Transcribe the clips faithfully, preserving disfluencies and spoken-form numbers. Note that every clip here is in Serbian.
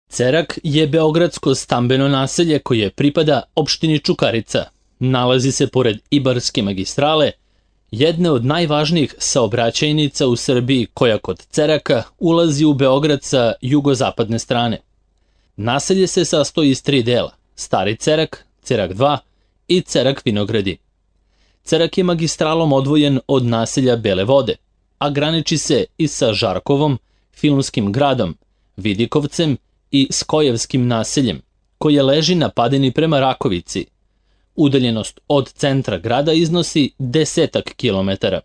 Cerak je beogradsko stambeno naselje koje pripada opštini Čukarica. Nalazi se pored Ibarske magistrale, jedne od najvažnijih saobraćajnica u Srbiji koja kod Ceraka ulazi u Beograd sa jugozapadne strane. Naselje se sastoji iz tri dela: Stari Cerak, Cerak dva i Cerak Vinogradi. Cerak je magistralom odvojen od naselja Bele Vode, a graniči se i sa Žarkovom, Filmskim gradom, Vidikovcem i Skojevskim naseljem, koje leži na padini prema Rakovici. Udaljenost od centra grada iznosi desetak kilometara.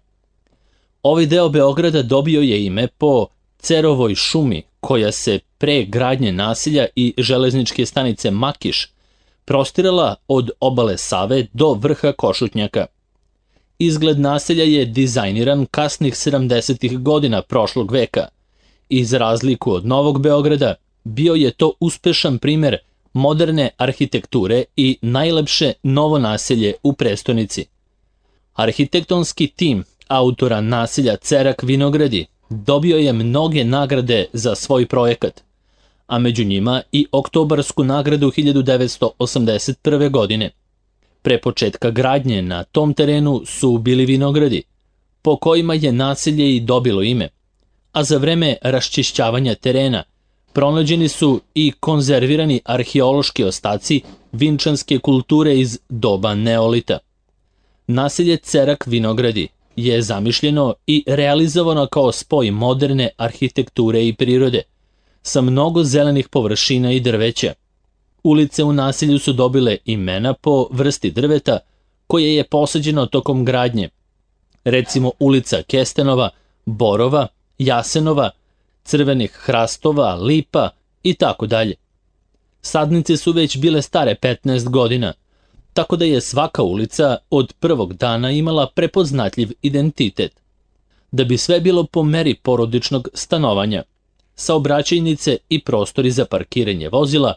Ovaj deo Beograda dobio je ime po Cerovoj šumi, koja se pre gradnje naselja i železničke stanice Makiš prostirala od obale Save do vrha Košutnjaka. Izgled naselja je dizajniran kasnih sedamdesetih godina prošlog veka i za razliku od Novog Beograda bio je to uspešan primer moderne arhitekture i najlepše novo naselje u prestonici. Arhitektonski tim autora naselja Cerak Vinogradi dobio je mnoge nagrade za svoj projekat, a među njima i Oktobarsku nagradu hiljadu devetsto osamdeset prve. godine. Pre početka gradnje na tom terenu su bili vinogradi, po kojima je naselje i dobilo ime, a za vreme raščišćavanja terena pronađeni su i konzervirani arheološki ostaci vinčanske kulture iz doba neolita. Naselje Cerak Vinogradi je zamišljeno i realizovano kao spoj moderne arhitekture i prirode, sa mnogo zelenih površina i drveća. Ulice u naselju su dobile imena po vrsti drveta koje je posađeno tokom gradnje, recimo ulica Kestenova, Borova, Jasenova, crvenih hrastova, lipa i tako dalje. Sadnice su već bile stare petnaest godina, tako da je svaka ulica od prvog dana imala prepoznatljiv identitet. Da bi sve bilo po meri porodičnog stanovanja, saobraćajnice i prostori za parkiranje vozila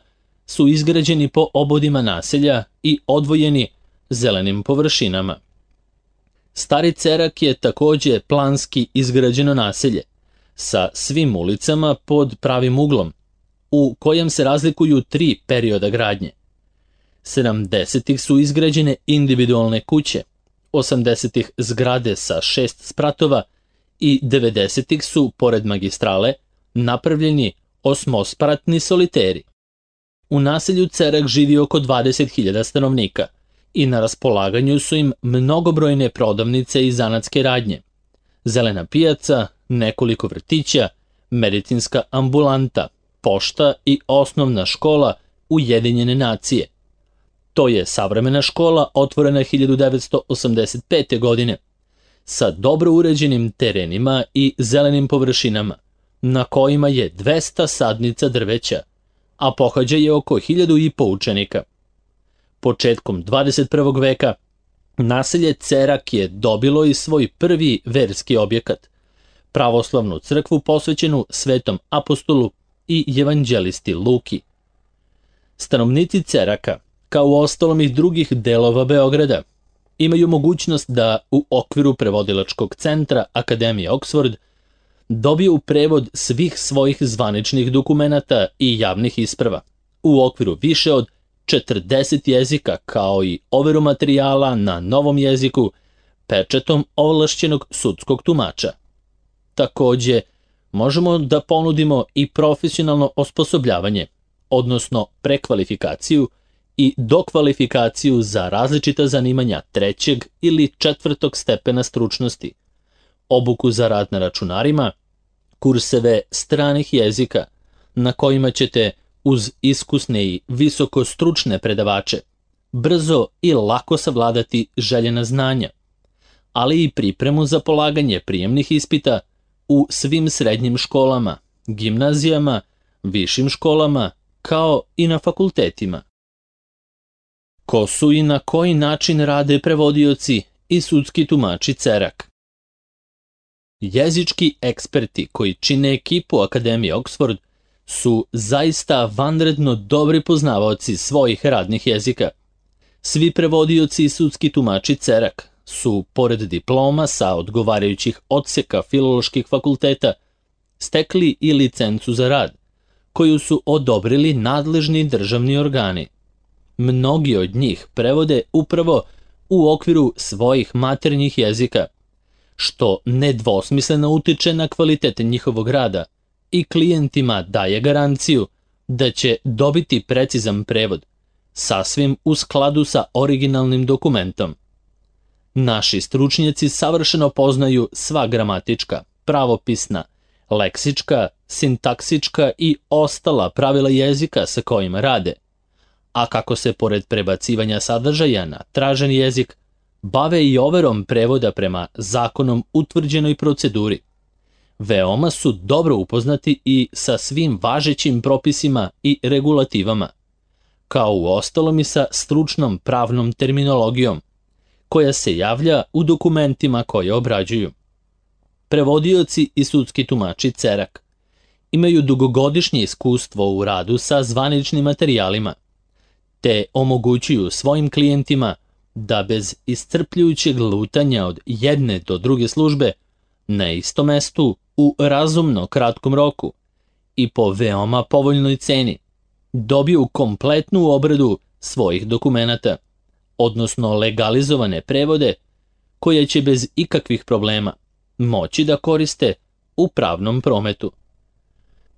su izgrađeni po obodima naselja i odvojeni zelenim površinama. Stari Cerak je takođe planski izgrađeno naselje, sa svim ulicama pod pravim uglom, u kojem se razlikuju tri perioda gradnje. sedamdesetih su izgrađene individualne kuće, osamdesetih zgrade sa šest spratova i devedesetih su, pored magistrale, napravljeni osmospratni soliteri. U naselju Cerak živi oko dvadeset hiljada stanovnika i na raspolaganju su im mnogobrojne prodavnice i zanatske radnje, zelena pijaca, nekoliko vrtića, medicinska ambulanta, pošta i osnovna škola Ujedinjene nacije. To je savremena škola otvorena hiljadu devetsto osamdeset pete. godine, sa dobro uređenim terenima i zelenim površinama, na kojima je dvesta sadnica drveća, a pohađa je oko hiljadu i po učenika. Početkom dvadeset prvog. veka naselje Cerak je dobilo i svoj prvi verski objekat, pravoslavnu crkvu posvećenu Svetom apostolu i evanđelisti Luki. Stanovnici Ceraka, kao u ostalom i drugih delova Beograda, imaju mogućnost da u okviru prevodilačkog centra Akademije Oxford dobiju prevod svih svojih zvaničnih dokumenata i javnih isprava u okviru više od četrdeset jezika, kao i overu materijala na novom jeziku pečetom ovlašćenog sudskog tumača. Takođe, možemo da ponudimo i profesionalno osposobljavanje, odnosno prekvalifikaciju i dokvalifikaciju za različita zanimanja trećeg ili četvrtog stepena stručnosti, obuku za rad na računarima, kurseve stranih jezika, na kojima ćete uz iskusne i visoko stručne predavače brzo i lako savladati željena znanja, ali i pripremu za polaganje prijemnih ispita u svim srednjim školama, gimnazijama, višim školama, kao i na fakultetima. Ko su i na koji način rade prevodioci i sudski tumači Cerak? Jezički eksperti koji čine ekipu Akademije Oxford su zaista vanredno dobri poznavaoci svojih radnih jezika. Svi prevodioci i sudski tumači Cerak su, pored diploma sa odgovarajućih odseka filoloških fakulteta, stekli i licencu za rad, koju su odobrili nadležni državni organi. Mnogi od njih prevode upravo u okviru svojih maternjih jezika, što nedvosmisleno utiče na kvalitet njihovog rada i klijentima daje garanciju da će dobiti precizan prevod, sasvim u skladu sa originalnim dokumentom. Naši stručnjaci savršeno poznaju sva gramatička, pravopisna, leksička, sintaksička i ostala pravila jezika sa kojima rade, a kako se pored prebacivanja sadržaja na tražen jezik, bave i overom prevoda prema zakonom utvrđenoj proceduri. Veoma su dobro upoznati i sa svim važećim propisima i regulativama, kao u ostalom i sa stručnom pravnom terminologijom, koja se javlja u dokumentima koje obrađuju. Prevodioci i sudski tumači Cerak imaju dugogodišnje iskustvo u radu sa zvaničnim materijalima, te omogućuju svojim klijentima da bez iscrpljujućeg lutanja od jedne do druge službe na istom mestu u razumno kratkom roku i po veoma povoljnoj ceni dobiju kompletnu obradu svojih dokumenata, odnosno legalizovane prevode koje će bez ikakvih problema moći da koriste u pravnom prometu.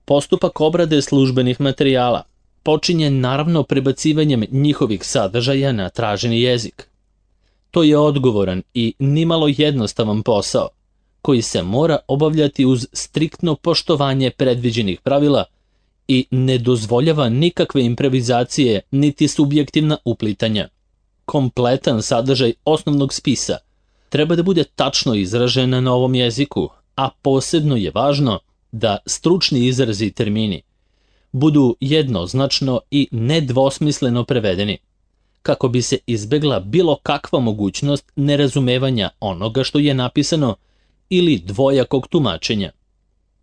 Postupak obrade službenih materijala počinje naravno prebacivanjem njihovih sadržaja na traženi jezik. To je odgovoran i nimalo jednostavan posao, koji se mora obavljati uz striktno poštovanje predviđenih pravila i ne dozvoljava nikakve improvizacije niti subjektivna uplitanja. Kompletan sadržaj osnovnog spisa treba da bude tačno izražen na novom jeziku, a posebno je važno da stručni izrazi i termini budu jednoznačno i nedvosmisleno prevedeni, kako bi se izbegla bilo kakva mogućnost nerazumevanja onoga što je napisano ili dvojakog tumačenja.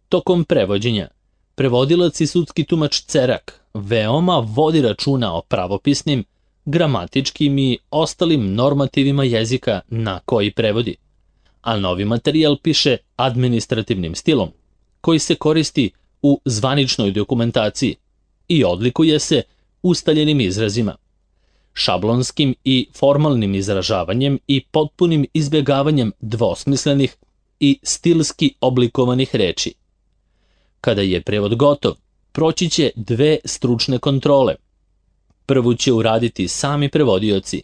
Tokom prevođenja, prevodilac i sudski tumač Cerak veoma vodi računa o pravopisnim, gramatičkim i ostalim normativima jezika na koji prevodi, a novi materijal piše administrativnim stilom, koji se koristi u zvaničnoj dokumentaciji i odlikuje se ustaljenim izrazima, šablonskim i formalnim izražavanjem i potpunim izbjegavanjem dvosmislenih i stilski oblikovanih reči. Kada je prevod gotov, proći će dve stručne kontrole. Prvu će uraditi sami prevodioci,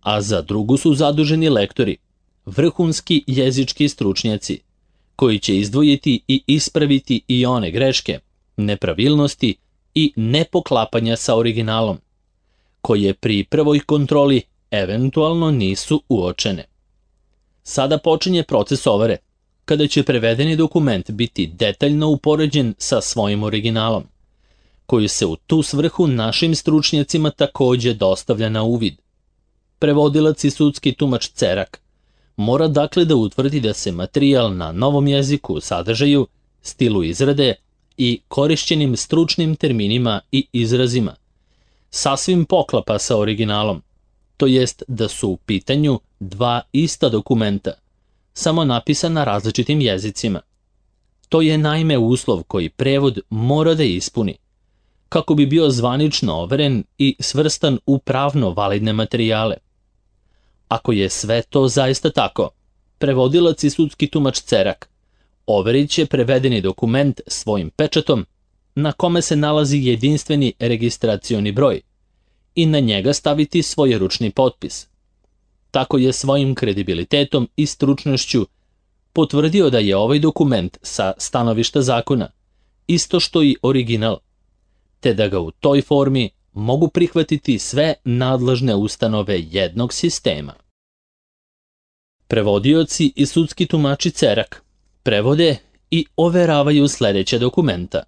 a za drugu su zaduženi lektori, vrhunski jezički stručnjaci, koji će izdvojiti i ispraviti i one greške, nepravilnosti i nepoklapanja sa originalom, koje pri prvoj kontroli eventualno nisu uočene. Sada počinje proces overe, kada će prevedeni dokument biti detaljno upoređen sa svojim originalom, koji se u tu svrhu našim stručnjacima takođe dostavlja na uvid. Prevodilac i sudski tumač Cerak mora dakle da utvrdi da se materijal na novom jeziku, sadržaju, stilu izrade i korišćenim stručnim terminima i izrazima sasvim poklapa sa originalom, to jest da su u pitanju dva ista dokumenta, samo napisana različitim jezicima. To je naime uslov koji prevod mora da ispuni, kako bi bio zvanično overen i svrstan u pravno validne materijale. Ako je sve to zaista tako, prevodilac i sudski tumač Cerak overit će prevedeni dokument svojim pečatom, na kome se nalazi jedinstveni registracioni broj, i na njega staviti svoj ručni potpis. Tako je svojim kredibilitetom i stručnošću potvrdio da je ovaj dokument sa stanovišta zakona isto što i original, te da ga u toj formi mogu prihvatiti sve nadležne ustanove jednog sistema. Prevodioci i sudski tumači Cerak prevode i overavaju sledeća dokumenta.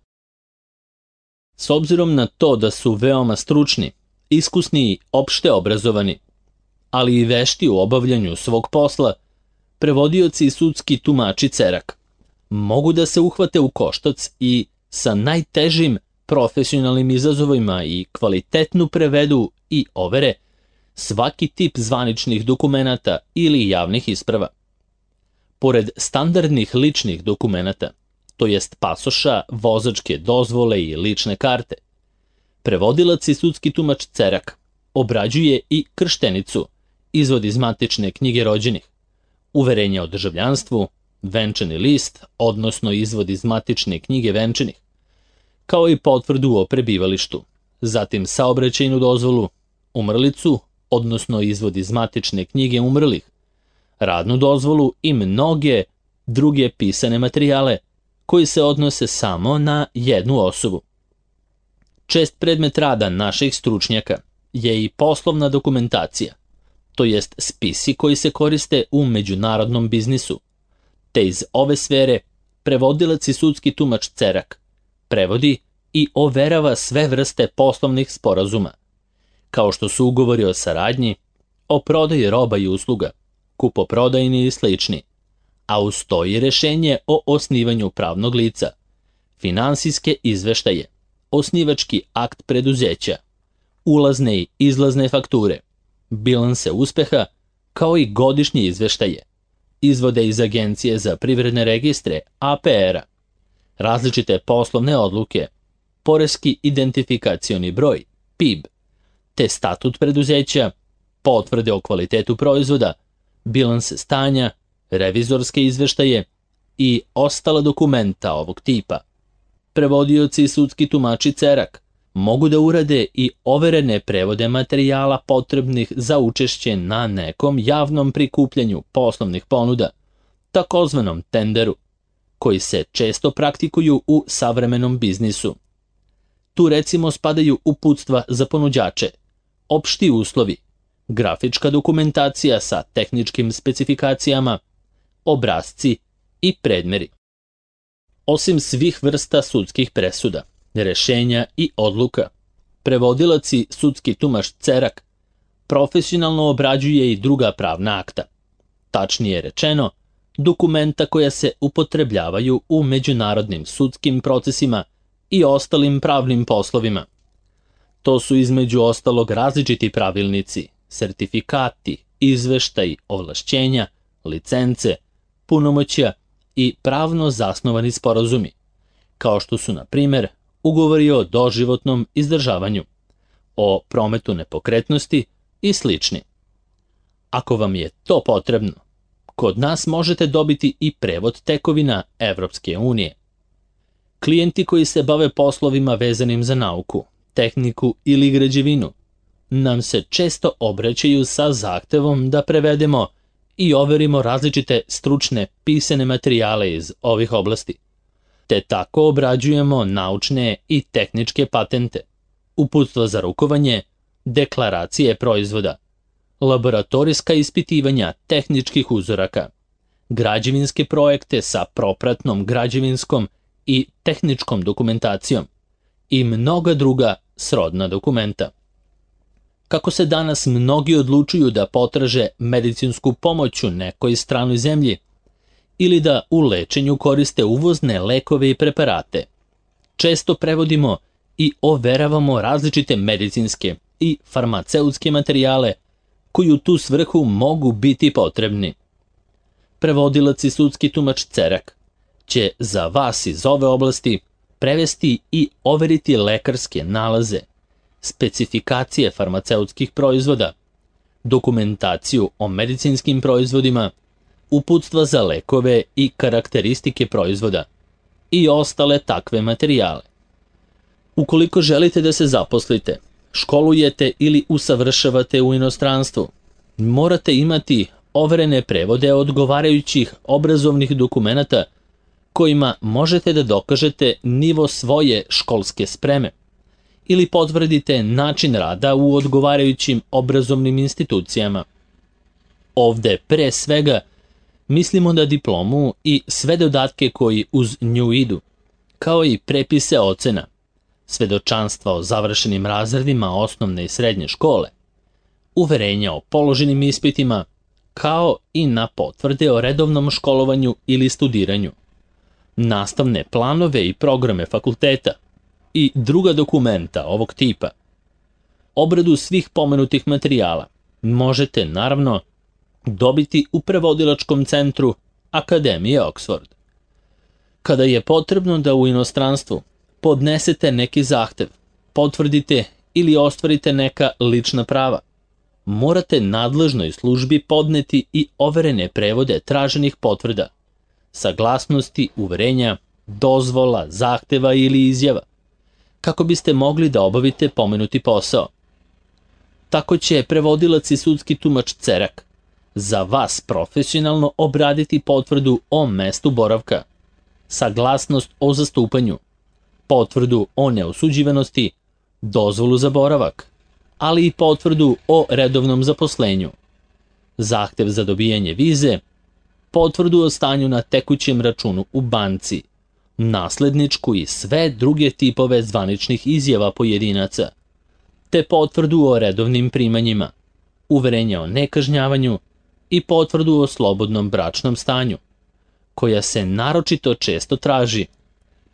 S obzirom na to da su veoma stručni, iskusni i opšte obrazovani, ali i vešti u obavljanju svog posla, prevodioci i sudski tumači Cerak mogu da se uhvate u koštac i sa najtežim profesionalnim izazovima i kvalitetnu prevedu i overe svaki tip zvaničnih dokumenata ili javnih isprava. Pored standardnih ličnih dokumenata, to jest pasoša, vozačke dozvole i lične karte. Prevodilac i sudski tumač cerak obrađuje i krštenicu, izvod iz matične knjige rođenih, uverenje o državljanstvu, venčani list, odnosno izvod iz matične knjige venčanih, kao i potvrdu o prebivalištu, zatim saobraćajnu dozvolu, umrlicu, odnosno izvod iz matične knjige umrlih, radnu dozvolu i mnoge druge pisane materijale koji se odnose samo na jednu osobu. Čest predmet rada naših stručnjaka je i poslovna dokumentacija, to jest spisi koji se koriste u međunarodnom biznisu, te iz ove sfere prevodilac i sudski tumač cerak prevodi i overava sve vrste poslovnih sporazuma, kao što su ugovori o saradnji, o prodaji roba i usluga, kupoprodajni i slični, a uz to i rešenje o osnivanju pravnog lica, finansijske izveštaje, osnivački akt preduzeća, ulazne i izlazne fakture, bilanse uspeha, kao i godišnje izveštaje, izvode iz Agencije za privredne registre A P R-a, različite poslovne odluke, poreski identifikacioni broj P I B, te statut preduzeća, potvrde o kvalitetu proizvoda, bilanse stanja, revizorske izveštaje i ostala dokumenta ovog tipa. Prevodioci i sudski tumači cerak mogu da urade i overene prevode materijala potrebnih za učešće na nekom javnom prikupljanju poslovnih ponuda, takozvanom tenderu, koji se često praktikuju u savremenom biznisu. Tu recimo spadaju uputstva za ponuđače, opšti uslovi, grafička dokumentacija sa tehničkim specifikacijama, obrasci i predmeri. Osim svih vrsta sudskih presuda, rešenja i odluka, prevodilac i sudski tumač cerak profesionalno obrađuje i druga pravna akta, tačnije rečeno, dokumenta koja se upotrebljavaju u međunarodnim sudskim procesima i ostalim pravnim poslovima. To su između ostalog različiti pravilnici, sertifikati, izveštaji, ovlašćenja, licence, punomoćja i pravno zasnovani sporazumi, kao što su, na primer, ugovori o doživotnom izdržavanju, o prometu nepokretnosti i slični. Ako vam je to potrebno, kod nas možete dobiti i prevod tekovina Evropske unije. Klijenti koji se bave poslovima vezanim za nauku, tehniku ili građevinu nam se često obraćaju sa zahtevom da prevedemo i overimo različite stručne pisane materijale iz ovih oblasti, te tako obrađujemo naučne i tehničke patente, uputstva za rukovanje, deklaracije proizvoda, laboratorijska ispitivanja tehničkih uzoraka, građevinske projekte sa propratnom građevinskom i tehničkom dokumentacijom i mnoga druga srodna dokumenta. Kako se danas mnogi odlučuju da potraže medicinsku pomoć u nekoj stranoj zemlji ili da u lečenju koriste uvozne lekove i preparate, često prevodimo i overavamo različite medicinske i farmaceutske materijale koji u tu svrhu mogu biti potrebni. Prevodilac i sudski tumač cerak će za vas iz ove oblasti prevesti i overiti lekarske nalaze, specifikacije farmaceutskih proizvoda, dokumentaciju o medicinskim proizvodima, uputstva za lekove i karakteristike proizvoda i ostale takve materijale. Ukoliko želite da se zaposlite, školujete ili usavršavate u inostranstvu, morate imati overene prevode odgovarajućih obrazovnih dokumenata kojima možete da dokažete nivo svoje školske spreme ili potvrdite način rada u odgovarajućim obrazovnim institucijama. Ovde pre svega mislimo na diplomu i sve dodatke koji uz nju idu, kao i prepise ocena, svedočanstva o završenim razredima osnovne i srednje škole, uverenja o položenim ispitima, kao i na potvrde o redovnom školovanju ili studiranju, nastavne planove i programe fakulteta i druga dokumenta ovog tipa. Obradu svih pomenutih materijala možete, naravno, dobiti u prevodilačkom centru Akademije Oxford. Kada je potrebno da u inostranstvu podnesete neki zahtev, potvrdite ili ostvarite neka lična prava, morate nadležnoj službi podneti i overene prevode traženih potvrda, saglasnosti, uverenja, dozvola, zahteva ili izjava, kako biste mogli da obavite pomenuti posao. Tako će prevodilac i sudski tumač Cerak za vas profesionalno obraditi potvrdu o mestu boravka, saglasnost o zastupanju, potvrdu o neosuđivanosti, dozvolu za boravak, ali i potvrdu o redovnom zaposlenju, zahtev za dobijanje vize, potvrdu o stanju na tekućem računu u banci, nasledničku i sve druge tipove zvaničnih izjava pojedinaca, te potvrdu o redovnim primanjima, uverenja o nekažnjavanju i potvrdu o slobodnom bračnom stanju, koja se naročito često traži,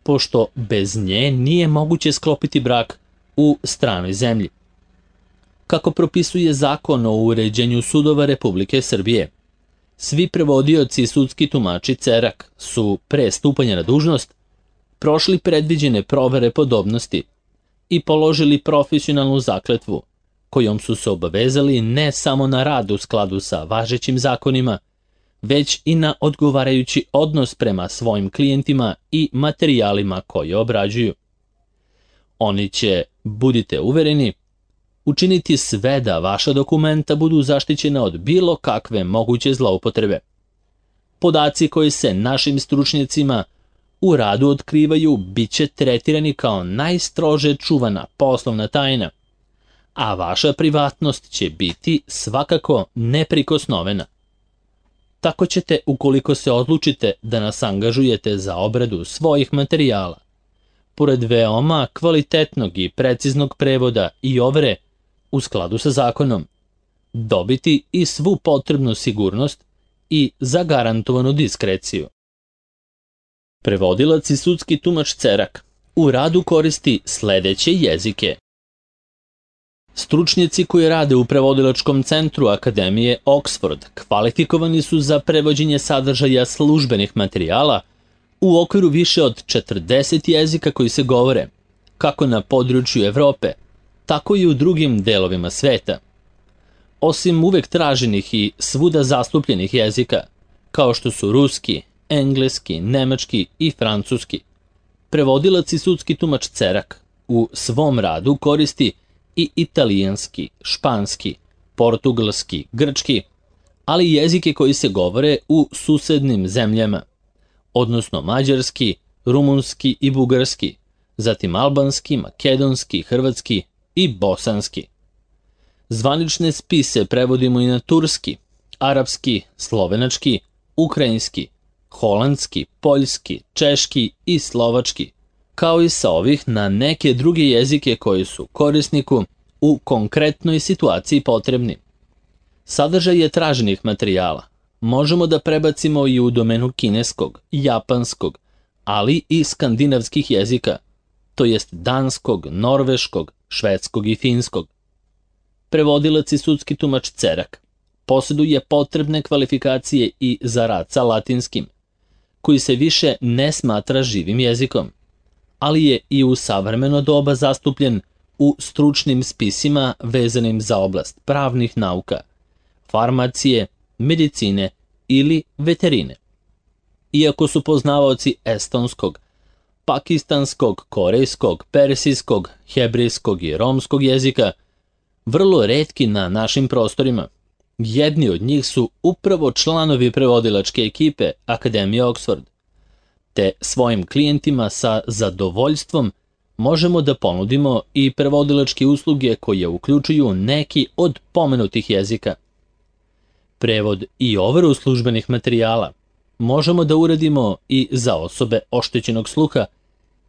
pošto bez nje nije moguće sklopiti brak u stranoj zemlji. Kako propisuje Zakon o uređenju sudova Republike Srbije, svi prevodioci i sudski tumači Cerak su pre stupanja na dužnost prošli predviđene provere podobnosti i položili profesionalnu zakletvu, kojom su se obavezali ne samo na rad u skladu sa važećim zakonima, već i na odgovarajući odnos prema svojim klijentima i materijalima koje obrađuju. Oni će, budite uvereni, učiniti sve da vaša dokumenta budu zaštićena od bilo kakve moguće zloupotrebe. Podaci koji se našim stručnjacima u radu otkrivaju bit će tretirani kao najstrože čuvana poslovna tajna, a vaša privatnost će biti svakako neprikosnovena. Tako ćete, ukoliko se odlučite da nas angažujete za obradu svojih materijala, pored veoma kvalitetnog i preciznog prevoda i overe u skladu sa zakonom, dobiti i svu potrebnu sigurnost i zagarantovanu diskreciju. Prevodilac i sudski tumač Cerak u radu koristi sledeće jezike. Stručnjaci koji rade u prevodilačkom centru Akademije Oxford kvalifikovani su za prevođenje sadržaja službenih materijala u okviru više od četrdeset jezika koji se govore, kako na području Evrope, tako i u drugim delovima sveta. Osim uvek traženih i svuda zastupljenih jezika, kao što su ruski, engleski, nemački i francuski, prevodilac i sudski tumač Cerak u svom radu koristi i italijanski, španski, portugalski, grčki, ali i jezike koji se govore u susednim zemljama, odnosno mađarski, rumunski i bugarski, zatim albanski, makedonski, hrvatski i bosanski. Zvanične spise prevodimo i na turski, arapski, slovenački, ukrajinski, holandski, poljski, češki i slovački, kao i sa ovih na neke druge jezike koji su korisniku u konkretnoj situaciji potrebni. Sadržaje traženih materijala možemo da prebacimo i u domenu kineskog, japanskog, ali i skandinavskih jezika, to jest danskog, norveškog, švedskog i finskog. Prevodilac i sudski tumač Cerak posjeduje potrebne kvalifikacije i za rad sa latinskim, koji se više ne smatra živim jezikom, ali je i u savremeno doba zastupljen u stručnim spisima vezanim za oblast pravnih nauka, farmacije, medicine ili veterine. Iako su poznavaoci estonskog, pakistanskog, korejskog, persijskog, hebrejskog i romskog jezika vrlo retki na našim prostorima, jedni od njih su upravo članovi prevodilačke ekipe Akademije Oxford, te svojim klijentima sa zadovoljstvom možemo da ponudimo i prevodilačke usluge koje uključuju neki od pomenutih jezika. Prevod i overu službenih materijala možemo da uradimo i za osobe oštećenog sluha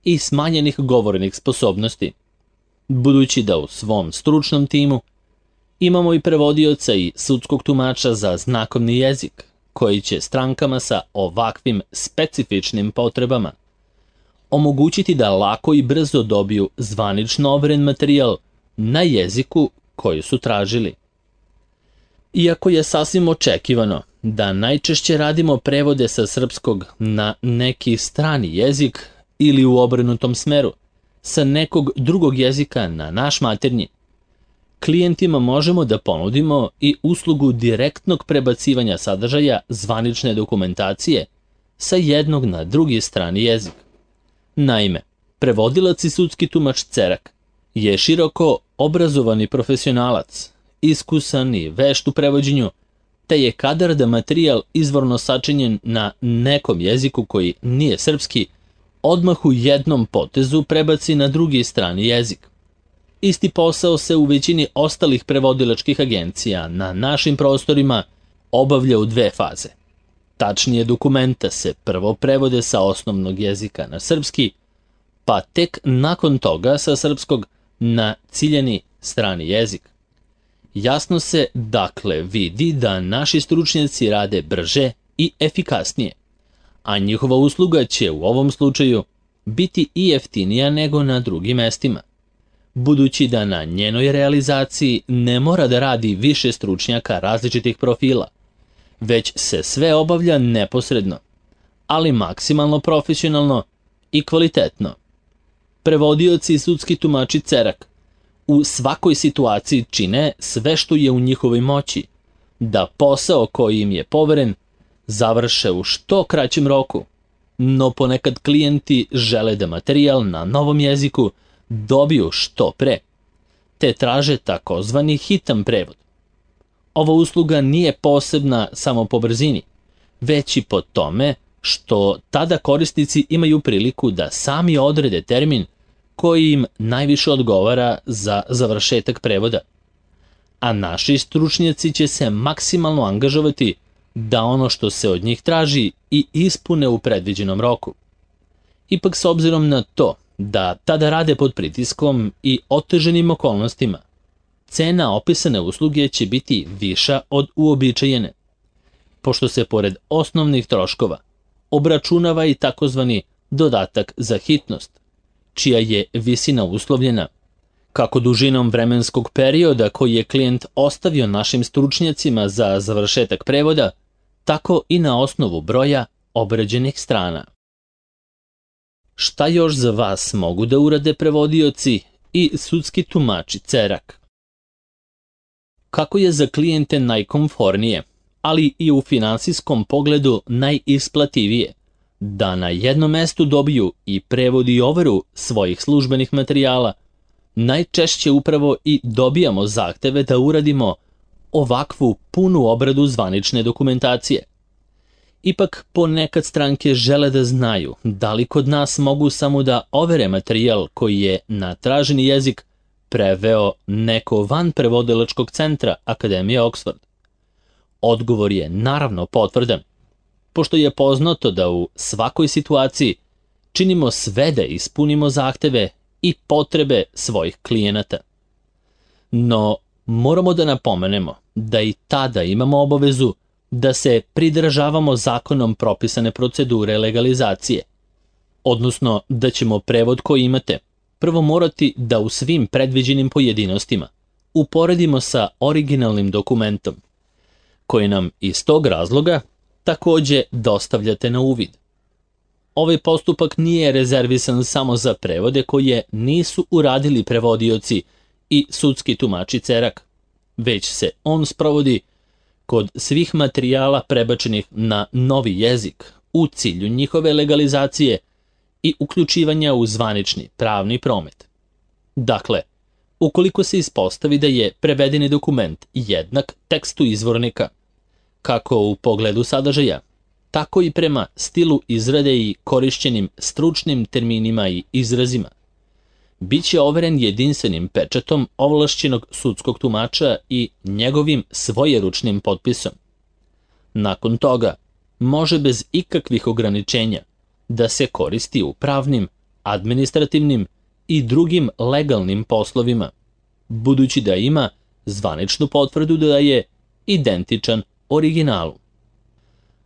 i smanjenih govornih sposobnosti, budući da u svom stručnom timu imamo i prevodioca i sudskog tumača za znakovni jezik, koji će strankama sa ovakvim specifičnim potrebama omogućiti da lako i brzo dobiju zvanično overen materijal na jeziku koji su tražili. Iako je sasvim očekivano da najčešće radimo prevode sa srpskog na neki strani jezik ili u obrnutom smeru, sa nekog drugog jezika na naš maternji, klijentima možemo da ponudimo i uslugu direktnog prebacivanja sadržaja zvanične dokumentacije sa jednog na drugi strani jezik. Naime, prevodilac i sudski tumač Cerak je široko obrazovani profesionalac, iskusan i vešt u prevođenju, te je kadar da materijal izvorno sačinjen na nekom jeziku koji nije srpski, odmah u jednom potezu prebaci na drugi strani jezik. Isti posao se u većini ostalih prevodilačkih agencija na našim prostorima obavlja u dve faze. Tačnije, dokumenta se prvo prevode sa osnovnog jezika na srpski, pa tek nakon toga sa srpskog na ciljani strani jezik. Jasno se dakle vidi da naši stručnjaci rade brže i efikasnije, a njihova usluga će u ovom slučaju biti i jeftinija nego na drugim mestima, budući da na njenoj realizaciji ne mora da radi više stručnjaka različitih profila, već se sve obavlja neposredno, ali maksimalno profesionalno i kvalitetno. Prevodioci i sudski tumači Cerak u svakoj situaciji čine sve što je u njihovoj moći, da posao koji im je poveren završe u što kraćem roku, no ponekad klijenti žele da materijal na novom jeziku dobiju što pre, te traže takozvani hitan prevod. Ova usluga nije posebna samo po brzini, već i po tome što tada korisnici imaju priliku da sami odrede termin koji im najviše odgovara za završetak prevoda, a naši stručnjaci će se maksimalno angažovati da ono što se od njih traži i ispune u predviđenom roku. Ipak, s obzirom na to da tada rade pod pritiskom i oteženim okolnostima, cena opisane usluge će biti viša od uobičajene, pošto se pored osnovnih troškova obračunava i takozvani dodatak za hitnost, čija je visina uslovljena kako dužinom vremenskog perioda koji je klijent ostavio našim stručnjacima za završetak prevoda, tako i na osnovu broja obrađenih strana. Šta još za vas mogu da urade prevodioci i sudski tumači Cerak? Kako je za klijente najkomfornije, ali i u finansijskom pogledu najisplativije, da na jednom mestu dobiju i prevod i overu svojih službenih materijala, najčešće upravo i dobijamo zahteve da uradimo ovakvu punu obradu zvanične dokumentacije. Ipak ponekad stranke žele da znaju da li kod nas mogu samo da overe materijal koji je na traženi jezik preveo neko van prevodilačkog centra Akademije Oxford. Odgovor je naravno potvrdan, pošto je poznato da u svakoj situaciji činimo sve da ispunimo zahteve i potrebe svojih klijenata. No, moramo da napomenemo da i tada imamo obavezu da se pridržavamo zakonom propisane procedure legalizacije, odnosno da ćemo prevod koji imate prvo morati da u svim predviđenim pojedinostima uporedimo sa originalnim dokumentom, koji nam iz tog razloga takođe dostavljate na uvid. Ovaj postupak nije rezervisan samo za prevode koje nisu uradili prevodioci i sudski tumači Cerak, već se on sprovodi kod svih materijala prebačenih na novi jezik u cilju njihove legalizacije i uključivanja u zvanični pravni promet. Dakle, ukoliko se ispostavi da je prevedeni dokument jednak tekstu izvornika, kako u pogledu sadržaja, tako i prema stilu izrade i korišćenim stručnim terminima i izrazima, bit će overen jedinstvenim pečatom ovlašćenog sudskog tumača i njegovim svojeručnim potpisom. Nakon toga, može bez ikakvih ograničenja da se koristi u pravnim, administrativnim i drugim legalnim poslovima, budući da ima zvaničnu potvrdu da je identičan originalu.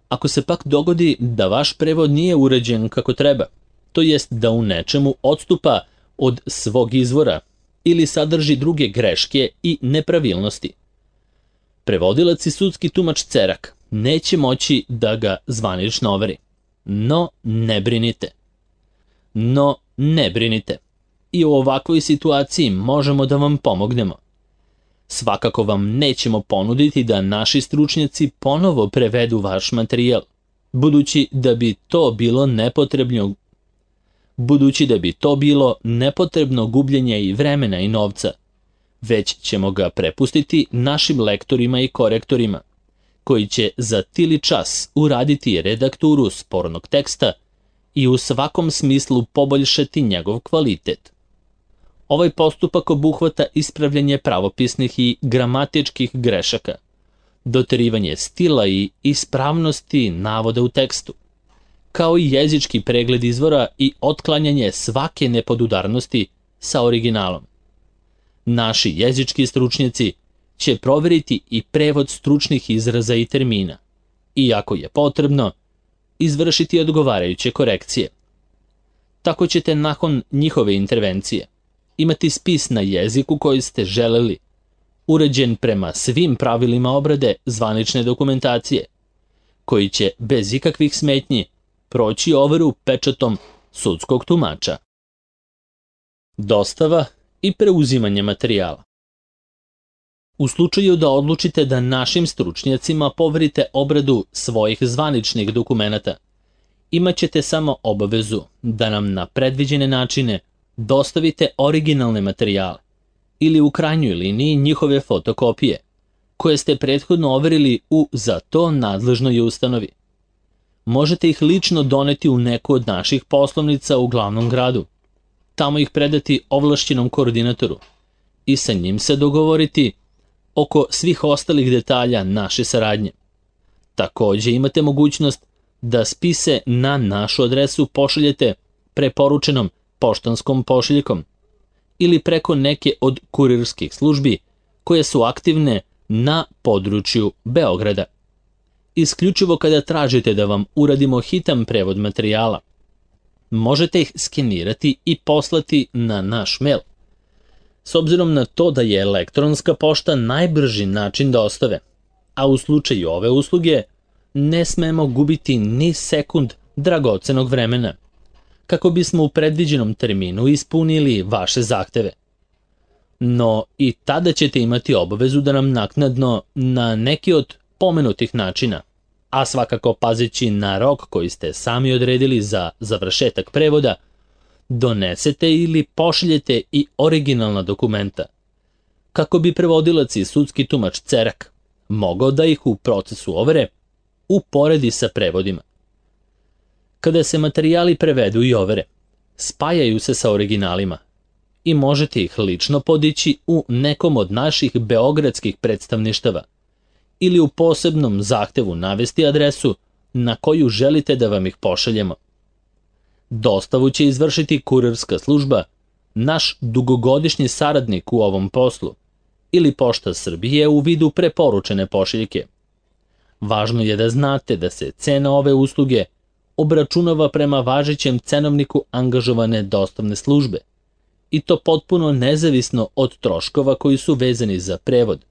Ako se pak dogodi da vaš prevod nije uređen kako treba, to jest da u nečemu odstupa od svog izvora ili sadrži druge greške i nepravilnosti, Prevodilac i sudski tumač Cerak neće moći da ga zvanično overi. No, ne brinite. No, ne brinite. I u ovakvoj situaciji možemo da vam pomognemo. Svakako vam nećemo ponuditi da naši stručnjaci ponovo prevedu vaš materijal, budući da bi to bilo nepotrebno budući da bi to bilo nepotrebno gubljenje i vremena i novca, već ćemo ga prepustiti našim lektorima i korektorima, koji će za tili čas uraditi redakturu spornog teksta i u svakom smislu poboljšati njegov kvalitet. Ovaj postupak obuhvata ispravljanje pravopisnih i gramatičkih grešaka, doterivanje stila i ispravnosti navoda u tekstu, kao i jezički pregled izvora i otklanjanje svake nepodudarnosti sa originalom. Naši jezički stručnjaci će proveriti i prevod stručnih izraza i termina i, ako je potrebno, izvršiti odgovarajuće korekcije. Tako ćete nakon njihove intervencije imati spis na jeziku koji ste želeli, uređen prema svim pravilima obrade zvanične dokumentacije, koji će bez ikakvih smetnji proći overu pečatom sudskog tumača. Dostava i preuzimanje materijala. U slučaju da odlučite da našim stručnjacima poverite obradu svojih zvaničnih dokumenata, imat ćete samo obavezu da nam na predviđene načine dostavite originalne materijale ili u krajnjoj liniji njihove fotokopije, koje ste prethodno overili u za to nadležnoj ustanovi. Možete ih lično doneti u neku od naših poslovnica u glavnom gradu, tamo ih predati ovlašćenom koordinatoru i sa njim se dogovoriti oko svih ostalih detalja naše saradnje. Takođe imate mogućnost da spise na našu adresu pošaljete preporučenom poštanskom pošiljkom ili preko neke od kurirskih službi koje su aktivne na području Beograda. Isključivo kada tražite da vam uradimo hitan prevod materijala, možete ih skenirati i poslati na naš mail. S obzirom na to da je elektronska pošta najbrži način dostave, a u slučaju ove usluge ne smemo gubiti ni sekund dragocenog vremena, kako bismo u predviđenom terminu ispunili vaše zahteve. No i tada ćete imati obavezu da nam naknadno na neki od pomenutih načina, a svakako pazeći na rok koji ste sami odredili za završetak prevoda, donesete ili pošaljete i originalna dokumenta, kako bi prevodilac i sudski tumač Cerak mogao da ih u procesu overe uporedi sa prevodima. Kada se materijali prevedu i overe, spajaju se sa originalima i možete ih lično podići u nekom od naših beogradskih predstavništava ili u posebnom zahtevu navesti adresu na koju želite da vam ih pošaljemo. Dostavu će izvršiti kurirska služba, naš dugogodišnji saradnik u ovom poslu, ili Pošta Srbije u vidu preporučene pošiljke. Važno je da znate da se cena ove usluge obračunava prema važećem cenovniku angažovane dostavne službe, i to potpuno nezavisno od troškova koji su vezani za prevod,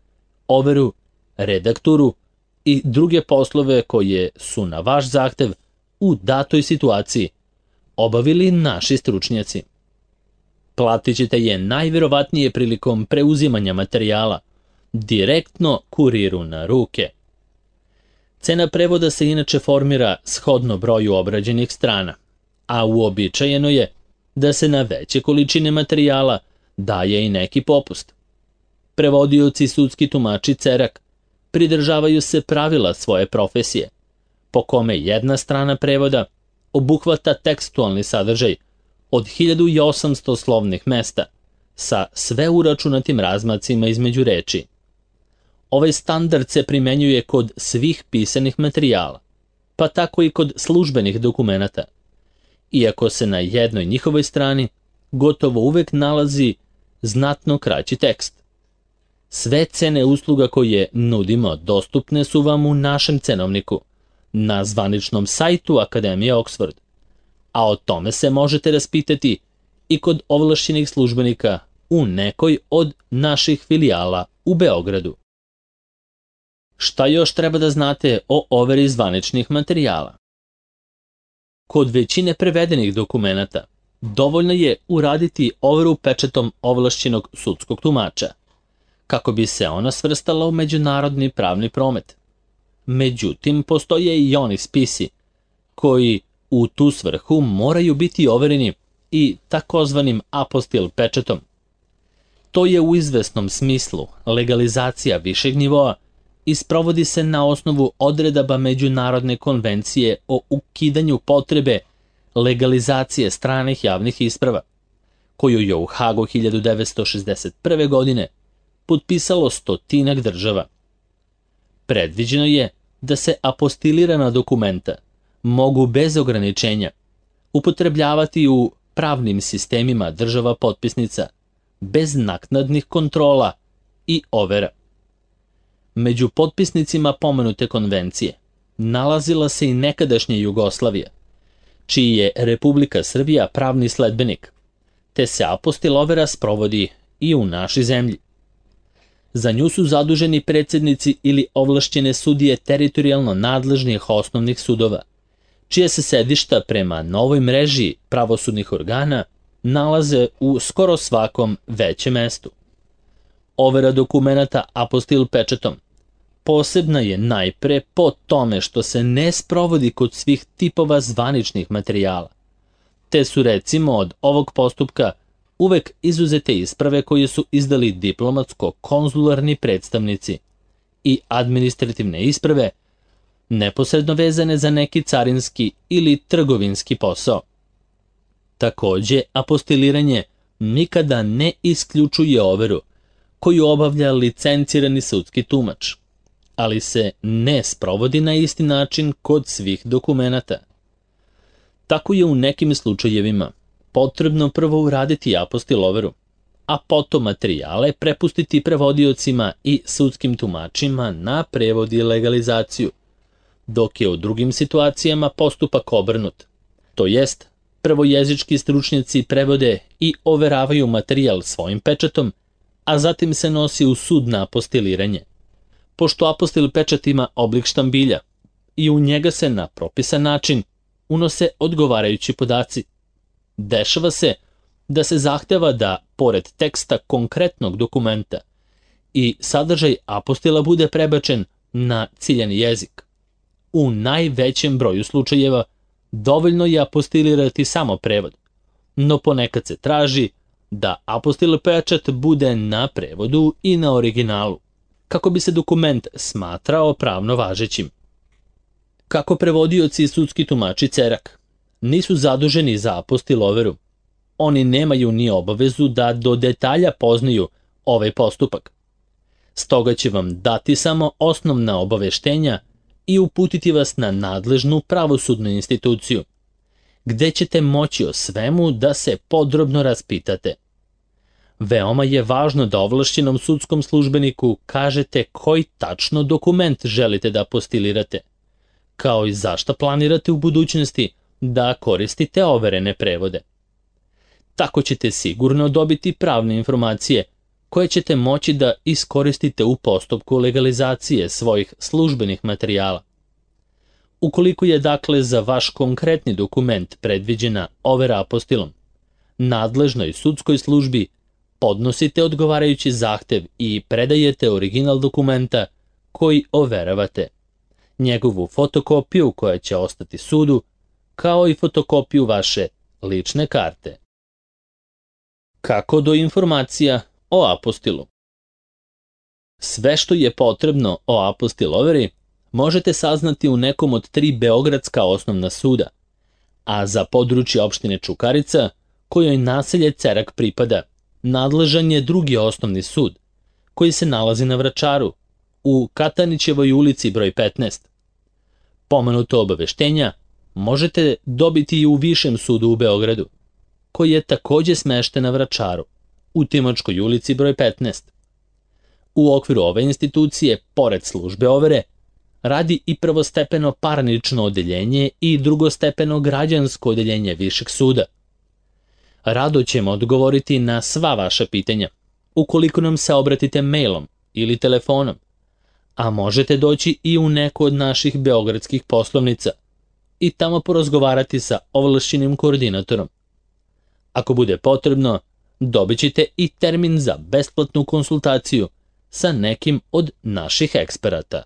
overu, redakturu i druge poslove koje su na vaš zahtev u datoj situaciji obavili naši stručnjaci. Platit ćete je najverovatnije prilikom preuzimanja materijala, direktno kuriru na ruke. Cena prevoda se inače formira shodno broju obrađenih strana, a uobičajeno je da se na veće količine materijala daje i neki popust. Prevodioci i sudski tumači Cerak pridržavaju se pravila svoje profesije, po kome jedna strana prevoda obuhvata tekstualni sadržaj od hiljadu osamsto slovnih mesta sa sve uračunatim razmacima između reči. Ovaj standard se primenjuje kod svih pisanih materijala, pa tako i kod službenih dokumenata, iako se na jednoj njihovoj strani gotovo uvek nalazi znatno kraći tekst. Sve cene usluga koje nudimo dostupne su vam u našem cenovniku, na zvaničnom sajtu Akademije Oxford, a o tome se možete raspitati i kod ovlašćenih službenika u nekoj od naših filijala u Beogradu. Šta još treba da znate o overi zvaničnih materijala? Kod većine prevedenih dokumenata dovoljno je uraditi overu pečatom ovlašćenog sudskog tumača, kako bi se ona svrstala u međunarodni pravni promet. Međutim, postoje i oni spisi koji u tu svrhu moraju biti overeni i takozvanim apostil pečatom. To je u izvesnom smislu legalizacija višeg nivoa i sprovodi se na osnovu odredaba Međunarodne konvencije o ukidanju potrebe legalizacije stranih javnih isprava, koju je u Hagu hiljadu devetsto šezdeset prve. godine potpisalo stotinak država. Predviđeno je da se apostilirana dokumenta mogu bez ograničenja upotrebljavati u pravnim sistemima država potpisnica, bez naknadnih kontrola i overa. Među potpisnicima pomenute konvencije nalazila se i nekadašnja Jugoslavija, čiji je Republika Srbija pravni sledbenik, te se apostil overa sprovodi i u našoj zemlji. Za nju su zaduženi predsjednici ili ovlašćene sudije teritorijalno nadležnih osnovnih sudova, čije se sedišta prema novoj mreži pravosudnih organa nalaze u skoro svakom većem mestu. Overa dokumenata apostil pečatom posebna je najpre po tome što se ne sprovodi kod svih tipova zvaničnih materijala, te su recimo od ovog postupka uvek izuzete isprave koje su izdali diplomatsko-konzularni predstavnici i administrativne isprave neposredno vezane za neki carinski ili trgovinski posao. Takođe, apostiliranje nikada ne isključuje overu koju obavlja licencirani sudski tumač, ali se ne sprovodi na isti način kod svih dokumenata. Tako je u nekim slučajevima potrebno prvo uraditi apostil overu, a potom materijale prepustiti prevodiocima i sudskim tumačima na prevod i legalizaciju, dok je u drugim situacijama postupak obrnut, to jest prvo jezički stručnjaci prevode i overavaju materijal svojim pečatom, a zatim se nosi u sud na apostiliranje. Pošto apostil pečat ima oblik štambilja i u njega se na propisan način unose odgovarajući podaci, dešava se da se zahteva da, pored teksta konkretnog dokumenta, i sadržaj apostila bude prebačen na ciljani jezik. U najvećem broju slučajeva dovoljno je apostilirati samo prevod, no ponekad se traži da apostil pečat bude na prevodu i na originalu, kako bi se dokument smatrao pravno važećim. Kako prevodioci i sudski tumači cerak nisu zaduženi za apostil overu, oni nemaju ni obavezu da do detalja poznaju ovaj postupak. Stoga će vam dati samo osnovna obaveštenja i uputiti vas na nadležnu pravosudnu instituciju, gde ćete moći o svemu da se podrobno raspitate. Veoma je važno da ovlašćenom sudskom službeniku kažete koji tačno dokument želite da apostilirate, kao i zašto planirate u budućnosti da koristite overene prevode. Tako ćete sigurno dobiti pravne informacije koje ćete moći da iskoristite u postupku legalizacije svojih službenih materijala. Ukoliko je dakle za vaš konkretni dokument predviđena overa apostilom, nadležnoj sudskoj službi podnosite odgovarajući zahtev i predajete original dokumenta koji overavate, njegovu fotokopiju koja će ostati sudu, kao i fotokopiju vaše lične karte. Kako do informacija o apostilu? Sve što je potrebno o apostil overi možete saznati u nekom od tri beogradska osnovna suda, a za područje opštine Čukarica, kojoj naselje Cerak pripada, nadležan je drugi osnovni sud, koji se nalazi na Vračaru, u Katanićevoj ulici broj petnaest. Pomenuto obaveštenja možete dobiti i u Višem sudu u Beogradu, koji je takođe smešten na Vračaru, u Timočkoj ulici broj petnaest. U okviru ove institucije, pored službe overe, radi i prvostepeno parnično odeljenje i drugostepeno građansko odeljenje Višeg suda. Rado ćemo odgovoriti na sva vaša pitanja, ukoliko nam se obratite mailom ili telefonom, a možete doći i u neku od naših beogradskih poslovnica i tamo porazgovarati sa ovlašćenim koordinatorom. Ako bude potrebno, dobit ćete i termin za besplatnu konsultaciju sa nekim od naših eksperata.